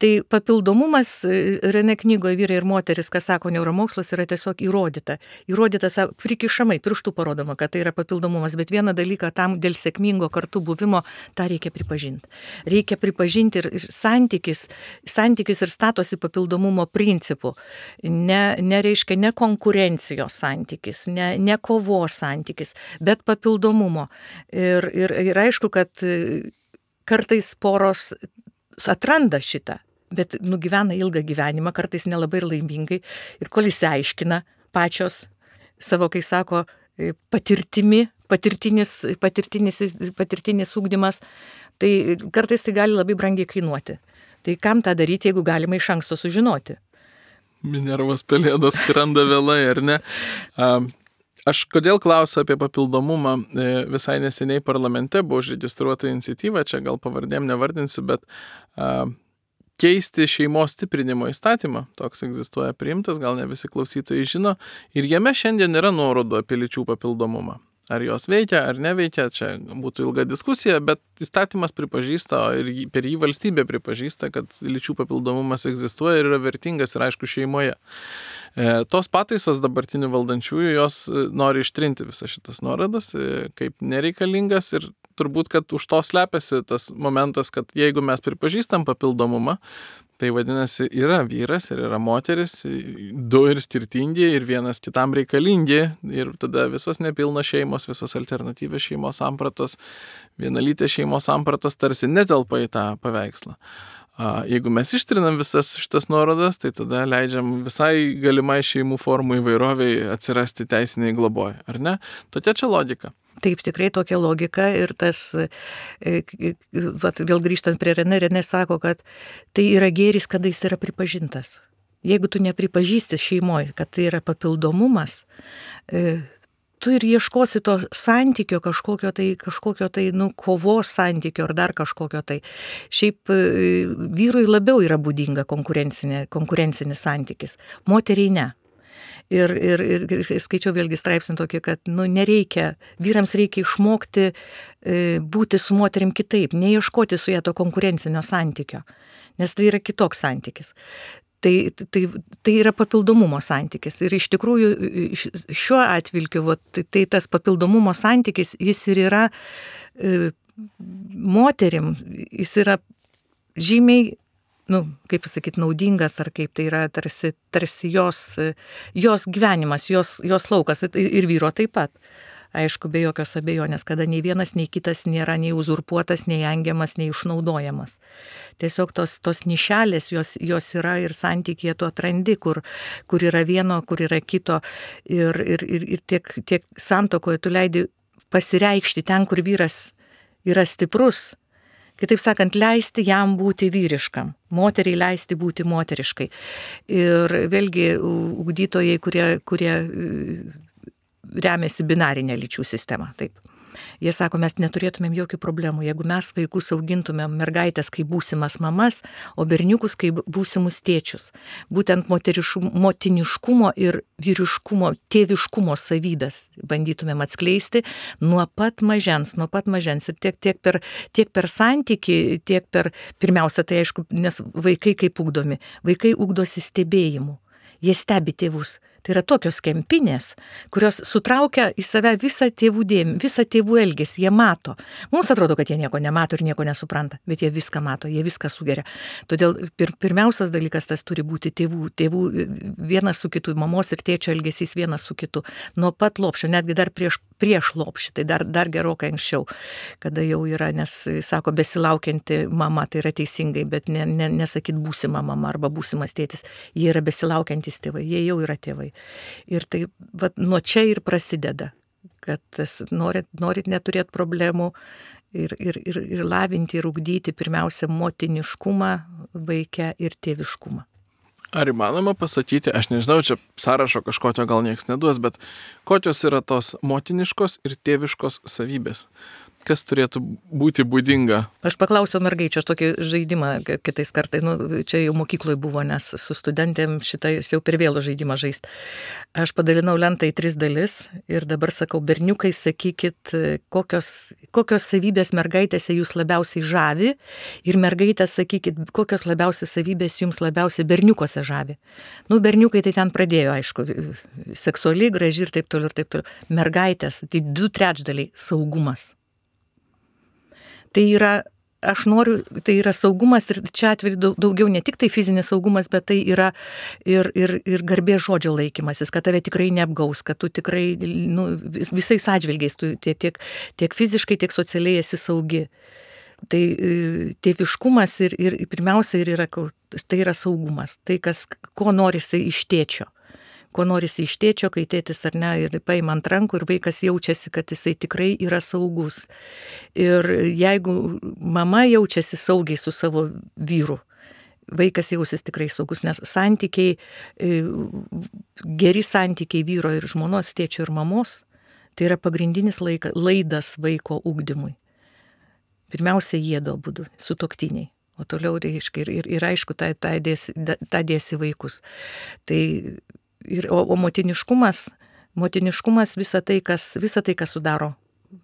Tai papildomumas René knygoje Vyrai ir moteris, kas sako neuromokslas, yra tiesiog įrodyta. Įrodyta, prikišamai, pirštų parodoma, kad tai yra papildomumas, bet vieną dalyką tam dėl sėkmingo kartu buvimo, tą reikia pripažinti. Reikia pripažinti ir santykis, santykis ir statosi papildomumo principų. Ne, nereiškia ne konkurencijos santykis, ne, ne kovos santykis, bet papildomumo. Ir, ir, ir aišku, kad kartais poros atranda šitą, bet nugyvena ilgą gyvenimą, kartais nelabai ir laimingai. Ir kol įsiaiškina pačios savo, kai sako, patirtimi, patirtinis, patirtinis, patirtinis ugdymas, tai kartais tai gali labai brangiai kainuoti. Tai kam tą daryti, jeigu galima iš anksto sužinoti? Minervos pelėdos skrenda vėlai, ar ne? Aš kodėl klausiu apie papildomumą, visai neseniai parlamente buvo užregistruota iniciatyva, čia gal pavardėm nevardinsiu, bet a, keisti šeimos stiprinimo įstatymą, toks egzistuoja priimtas, gal ne visi klausytojai žino, ir jame šiandien yra nuorodų apie lyčių papildomumą. Ar jos veikia, ar neveikia, čia būtų ilga diskusija, bet įstatymas pripažįsta ir per jį valstybė pripažįsta, kad lyčių papildomumas egzistuoja ir yra vertingas ir aišku šeimoje. E, tos pataisos dabartinių valdančiųjų, jos nori ištrinti visas šitas nuorodas e, kaip nereikalingas ir turbūt, kad už to slepiasi tas momentas, kad jeigu mes pripažįstam papildomumą, tai vadinasi, yra vyras ir yra moteris, du ir skirtingi ir vienas kitam reikalingi ir tada visos nepilnos šeimos, visos alternatyvios šeimos sampratos, vienalytės šeimos sampratos tarsi netelpa į tą paveikslą. Jeigu mes ištrinam visas šitas nuorodas, tai tada leidžiam visai galimai šeimų formų įvairoviai atsirasti teisiniai globoj, ar ne? Tokia čia logika. Taip, tikrai tokia logika ir tas, vat, vėl grįžtant prie René, René sako, kad tai yra gėris, kada jis yra pripažintas. Jeigu tu nepripažįsti šeimoje, kad tai yra papildomumas, tu ir ieškosi to santykio kažkokio tai, kažkokio tai, nu, kovos santykio ar dar kažkokio tai. Šiaip vyrui labiau yra būdinga konkurencinis santykis, moteriai ne. Ir, ir, ir skaičiau vėlgi straipsnį tokį, kad nu, nereikia, vyrams reikia išmokti e, būti su moterim kitaip, neieškoti su ją to konkurencinio santykio, nes tai yra kitoks santykis. Tai, tai, tai yra papildomumo santykis. Ir iš tikrųjų šiuo atvilkiu, va, tai, tai tas papildomumo santykis, jis ir yra e, moterim, jis yra žymiai, nu, kaip pasakyti, naudingas, ar kaip tai yra tarsi, tarsi jos, jos gyvenimas, jos, jos laukas ir vyro taip pat. aišku, be jokios abejonės, kada nei vienas, nei kitas nėra nei uzurpuotas, nei engiamas, nei išnaudojamas. Tiesiog tos, tos nišelės, jos, jos yra ir santykėje tu atrandi, kur, kur yra vieno, kur yra kito. Ir, ir, ir, ir tiek, tiek santuokoje tu leidi pasireikšti ten, kur vyras yra stiprus. Kitaip sakant, leisti jam būti vyriškam, moteriai leisti būti moteriškai. Ir vėlgi ugdytojai, kurie, kurie remiasi binarinę lyčių sistemą, taip. Jie sako, mes neturėtumėm jokių problemų, jeigu mes vaikus augintumėm mergaitės kaip būsimas mamas, o berniukus kaip būsimus tėčius. Būtent motiniškumo ir vyriškumo, tėviškumo savybės bandytumėm atskleisti nuo pat mažens, nuo pat mažens. Ir tiek, tiek, per, tiek per santykį, tiek per, pirmiausia, tai aišku, nes vaikai kaip ugdomi, vaikai ugdosi stebėjimu, jie stebi tėvus. Tai yra tokios kempinės, kurios sutraukia į save visą tėvų dėmesį, visą tėvų elgesį, jie mato. Mums atrodo, kad jie nieko nemato ir nieko nesupranta, bet jie viską mato, jie viską sugeria. Todėl pir, pirmiausias dalykas tas turi būti tėvų, tėvų vienas su kitu, mamos ir tėčio elgesys vienas su kitu. Nuo pat lopšio, netgi dar prieš, prieš lopšį, tai dar, dar gerokai anksčiau, kada jau yra, nes sako, besilaukianti mama, tai yra teisingai, bet ne, ne, nesakyt būsima mama arba būsimas tėtis, jie yra besilaukiantys tėvai, jie jau yra tėvai. Ir tai vat, nuo čia ir prasideda, kad tas, norit, norit neturėti problemų ir, ir, ir, ir lavinti ir ugdyti pirmiausia motiniškumą vaike ir tėviškumą. Ar įmanoma pasakyti, aš nežinau, čia sąrašo kažkokio gal nieks neduos, bet kokios yra tos motiniškos ir tėviškos savybės? Kas turėtų būti būdinga? Aš paklausiau mergaičio, aš tokį žaidimą kitais kartais, nu, čia jau mokykloje buvo, nes su studentėm šitą jau per vėlų žaidimą žaist. Aš padalinau lentą į tris dalis ir dabar sakau, berniukai, sakykit, kokios, kokios savybės mergaitėse jūs labiausiai žavi ir mergaitės, sakykit, kokios labiausiai savybės jums labiausiai berniukose žavi. Nu, berniukai tai ten pradėjo, aišku, seksuali, graži ir taip toliau ir taip toliau. Mergaitės, tai du trečdaliai saugumas. Tai yra, aš noriu, tai yra saugumas ir čia atveju daugiau ne tik tai fizinis saugumas, bet tai yra ir, ir, ir garbės žodžio laikymasis, kad tave tikrai neapgaus, kad tu tikrai nu, visais atžvilgiais, tu tiek, tiek fiziškai, tiek socialiai esi saugi. Tai tėviškumas ir, ir pirmiausia ir yra, tai yra saugumas, tai kas, ko norisi iš tėčio. Ko norisi iš tėčio, kai tėtis ar ne, ir paima ant rankų ir vaikas jaučiasi, kad jisai tikrai yra saugus. Ir jeigu mama jaučiasi saugiai su savo vyru, vaikas jausis tikrai saugus, nes santykiai, geri santykiai vyro ir žmonos, tėčio ir mamos, tai yra pagrindinis laika, laidas vaiko ugdymui. Pirmiausia, jėdo būdu, sutuoktiniai. O toliau reiškia ir, ir, ir aišku, tą, tą, dėsi, tą dėsi vaikus. Tai Ir, o, o motiniškumas, motiniškumas visa tai, kas, visa tai, kas sudaro.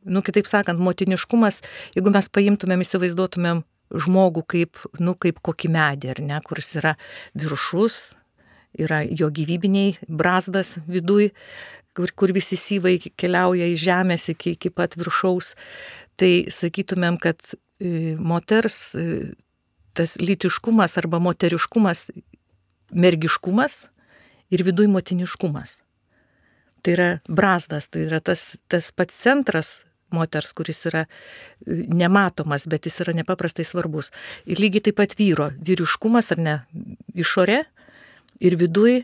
Nu, kitaip sakant, motiniškumas, jeigu mes paimtumėm, įsivaizduotumėm žmogų kaip, nu, kaip kokį medį, ar ne, kuris yra viršus, yra jo gyvybiniai brazdas viduj, kur, kur visi syvai keliauja į žemės iki, iki pat viršaus, tai sakytumėm, kad e, moters e, tas lytiškumas arba moteriškumas, mergiškumas, ir viduj motiniškumas. Tai yra brazdas, tai yra tas, tas pats centras moters, kuris yra nematomas, bet jis yra nepaprastai svarbus. Ir lygiai taip pat vyro, vyriškumas ar ne, išorė ir viduj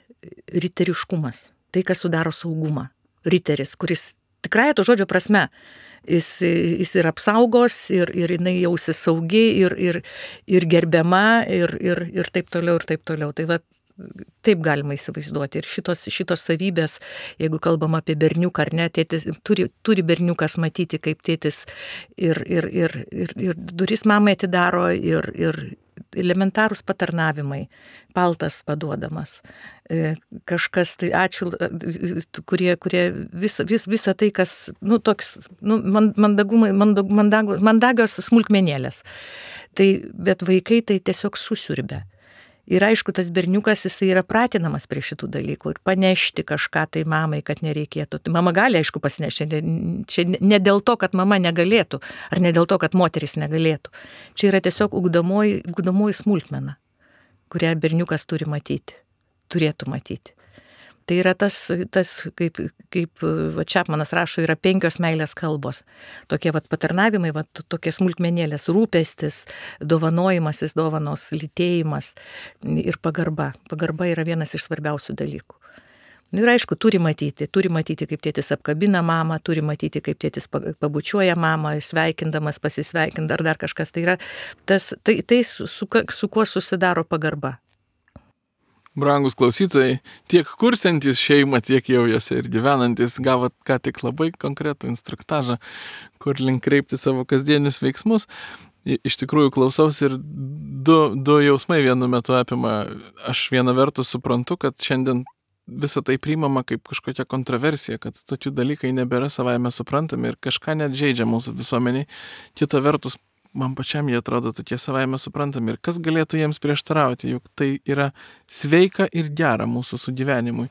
riteriškumas. Tai, kas sudaro saugumą. Riteris, kuris tikrai to žodžio prasme, jis, jis ir apsaugos, ir, ir jinai jausis saugi, ir, ir, ir gerbiama, ir, ir, ir taip toliau, ir taip toliau. Tai va, taip galima įsivaizduoti. Ir šitos, šitos savybės, jeigu kalbam apie berniuką ar ne, tėtis, turi, turi berniukas matyti, kaip tėtis ir, ir, ir, ir, ir duris mamai atidaro, ir, ir elementarūs patarnavimai, paltas paduodamas. Kažkas, tai ačiū, kurie, kurie visa, vis, visa tai, kas, nu, toks, nu, mandagumai, mandag, mandagios, mandagios smulkmenėlės. Tai, bet vaikai tai tiesiog susiurbia. Ir aišku, tas berniukas, jisai yra pratinamas prie šitų dalykų ir panešti kažką tai mamai, kad nereikėtų. Tai mama gali, aišku, pasinešti. Čia ne dėl to, kad mama negalėtų, ar ne dėl to, kad moteris negalėtų. Čia yra tiesiog ugdomoji, ugdomoji smulkmena, kurią berniukas turi matyti, turėtų matyti. Tai yra tas, tas kaip, kaip va, Čapmanas rašo, yra penkios meilės kalbos. Tokie va, patarnavimai, va, tokie smulkmenėlės, rūpestis, dovanojimasis, dovanos, lytėjimas ir pagarba. Pagarba yra vienas iš svarbiausių dalykų. Nu, ir aišku, turi matyti, turi matyti, kaip tėtis apkabina mamą, turi matyti, kaip tėtis pabučiuoja mamą, sveikindamas, pasisveikint ar dar kažkas. Tai yra tas, tai, tai su, su kuo susidaro pagarba. Brangus klausytojai, tiek kursiantys šeimą, tiek jau jose ir gyvenantys, gavot ką tik labai konkretų instruktažą, kur link kreipti savo kasdienius veiksmus. Iš tikrųjų klausaus ir du, du jausmai vienu metu apima. Aš viena vertus suprantu, kad šiandien visą tai priimama kaip kažkokia kontroversija, kad tokių dalykai nebėra savaime suprantami ir kažką net žaidžia mūsų visuomeniai. Kita vertus, man pačiam jie atrodo tokie savaime suprantami ir kas galėtų jiems prieštarauti, juk tai yra sveika ir gera mūsų sugyvenimui.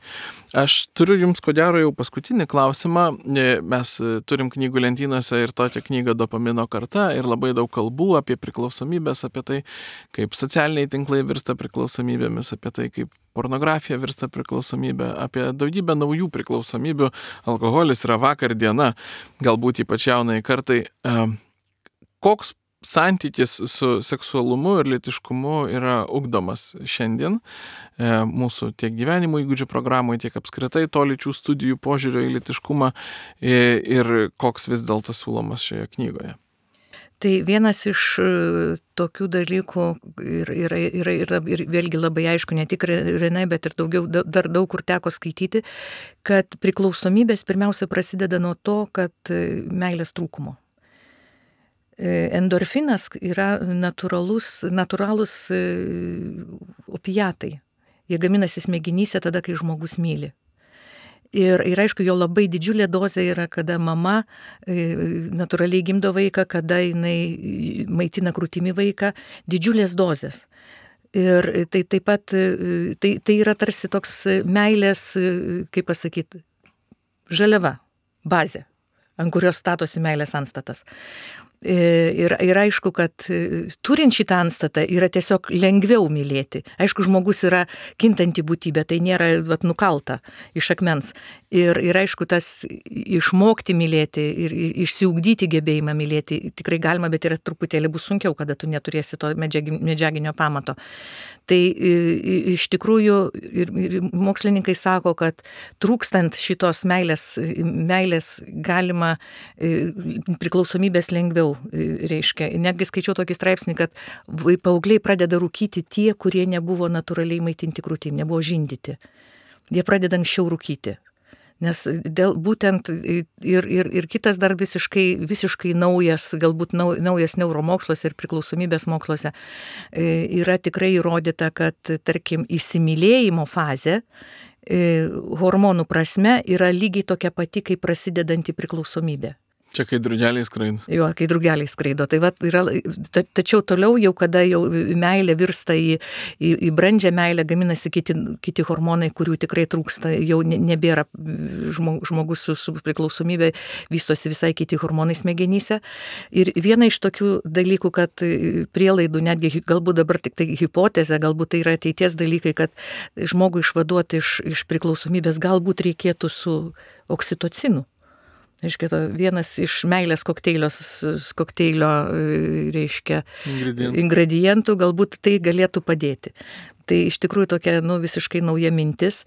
Aš turiu jums ko gero jau paskutinį klausimą. Mes turim knygų lentynose ir tokią knygą Dopamino karta ir labai daug kalbų apie priklausomybės, apie tai, kaip socialiniai tinklai virsta priklausomybėmis, apie tai, kaip pornografija virsta priklausomybė, apie daugybę naujų priklausomybių. Alkoholis yra vakar diena, galbūt ypač jaunai kartai. Koks santykis su seksualumu ir lytiškumu yra ugdomas šiandien e, mūsų tiek gyvenimo įgūdžių programoje, tiek apskritai to lyčių studijų požiūrio į lytiškumą e, ir koks vis dėlto siūlomas šioje knygoje? Tai vienas iš tokių dalykų yra, yra, yra ir vėlgi labai aišku, ne tik Renai, bet ir daugiau, dar daug kur teko skaityti, kad priklausomybės pirmiausia prasideda nuo to, kad meilės trūkumo. Endorfinas yra natūralus, natūralūs opiatai. Jie gaminasi smegenyse tada, kai žmogus myli. Ir, ir aišku, jo labai didžiulė dozė yra, kada mama natūraliai gimdo vaiką, kada jinai maitina krūtimi vaiką, didžiulės dozės. Ir tai taip pat, tai, tai yra tarsi toks meilės, kaip pasakyti, žaliava, bazė, ant kurios statosi meilės antstatas. Ir, ir aišku, kad turint šitą antstatą yra tiesiog lengviau mylėti. Aišku, žmogus yra kintanti būtybė, tai nėra vat, nukalta iš akmens. Ir, ir aišku, tas išmokti mylėti ir išsiugdyti gebėjimą mylėti tikrai galima, bet yra truputėlį bus sunkiau, kada tu neturėsi to medžiaginio pamato. Tai iš tikrųjų ir, ir mokslininkai sako, kad trūkstant šitos meilės, meilės galima priklausomybės lengviau. Reiškia, netgi skaičiau tokį straipsnį, kad paaugliai pradeda rūkyti tie, kurie nebuvo natūraliai maitinti krūtimi, nebuvo žindyti. Jie pradeda anksčiau rūkyti. Nes dėl, būtent ir, ir, ir kitas dar visiškai, visiškai naujas, galbūt nau, naujas neuromoksluose ir priklausomybės moksluose yra tikrai įrodyta, kad, tarkim, įsimylėjimo fazė hormonų prasme yra lygiai tokia pati, kaip prasidedanti priklausomybė. Čia kai drugeliai skraido. Jo, kai drugeliai skraido. Tai va, yra, ta, tačiau toliau jau, kada jau meilė virsta į, į, į brandžią meilę, gaminasi kiti, kiti hormonai, kurių tikrai trūksta, jau nebėra žmogus su, su priklausomybė, vystosi visai kiti hormonai smegenyse. Ir viena iš tokių dalykų, kad prielaidų, netgi galbūt dabar tik tai hipotezė, galbūt tai yra ateities dalykai, kad žmogų išvaduoti iš, iš priklausomybės galbūt reikėtų su oksitocinu. Reiškia, to vienas iš meilės kokteilio, kokteilio reiškia, ingredientų. ingredientų, galbūt tai galėtų padėti. Tai iš tikrųjų tokia nu, visiškai nauja mintis,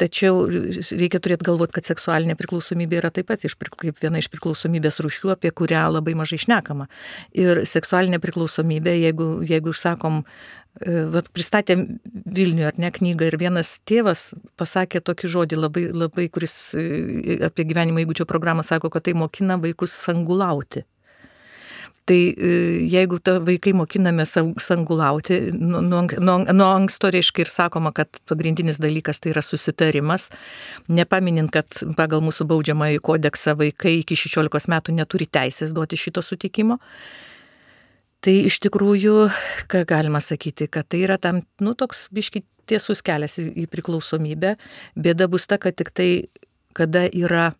tačiau reikia turėti galvoti, kad seksualinė priklausomybė yra taip pat iš, kaip viena iš priklausomybės rūšių, apie kurią labai mažai šnekama. Ir seksualinė priklausomybė, jeigu, jeigu sakom, vat, pristatėm Vilniuje ar ne knygą ir vienas tėvas pasakė tokį žodį, labai, labai, kuris apie gyvenimo įgūdžio programą sako, kad tai mokina vaikus sangulauti. Tai jeigu ta vaikai mokiname sangulauti, nuo, nuo, nuo anksto reiškia ir sakoma, kad pagrindinis dalykas tai yra susitarimas, nepaminint, kad pagal mūsų baudžiamąjį kodeksą vaikai iki šešiolikos metų neturi teisės duoti šito sutikimo. Tai iš tikrųjų, ką galima sakyti, kad tai yra tam, nu, toks biški tiesus kelias į, į priklausomybę. Bėda bus ta, kad tik tai, kada yra,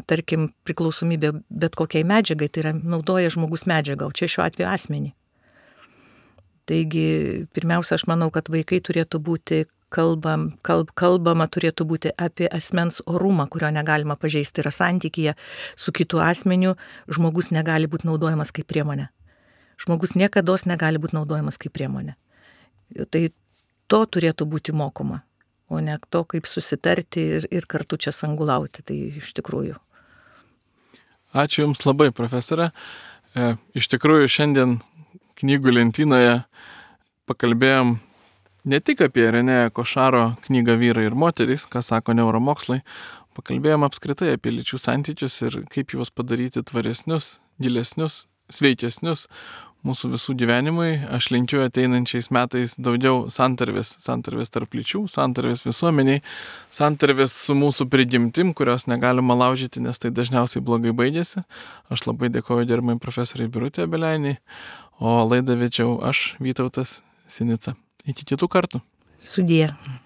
tarkim, priklausomybė bet kokiai medžiagai, tai yra naudoja žmogus medžiagą, o čia šiuo atveju asmenį. Taigi, pirmiausia, aš manau, kad vaikai turėtų būti kalbam, kalb, kalbama turėtų būti apie asmens orumą, kurio negalima pažeisti. Yra santykyje su kitu asmeniu, žmogus negali būti naudojamas kaip priemonė. Žmogus niekados negali būti naudojamas kaip priemonė. Tai to turėtų būti mokoma, o ne to, kaip susitarti ir, ir kartu čia sangulauti. Tai iš tikrųjų. Ačiū Jums labai, profesorė. E, iš tikrųjų, šiandien knygų lentynoje pakalbėjom ne tik apie Renė Košaro knygą Vyrai ir moterys, ką sako neuromokslai, pakalbėjom apskritai apie lyčių santykius ir kaip juos padaryti tvaresnius, gilesnius, sveikesnius mūsų visų gyvenimui. Aš linkiu ateinančiais metais daugiau santarvės, santarvės tarp lyčių, santarvės visuomeniai, santarvės su mūsų prigimtim, kurios negalima laužyti, nes tai dažniausiai blogai baigėsi. Aš labai dėkoju gerbiamai profesoriai Birutei Obelianiai, o laidą vedžiau aš, Vytautas Sinica. Iki kitų kartų. Sudie.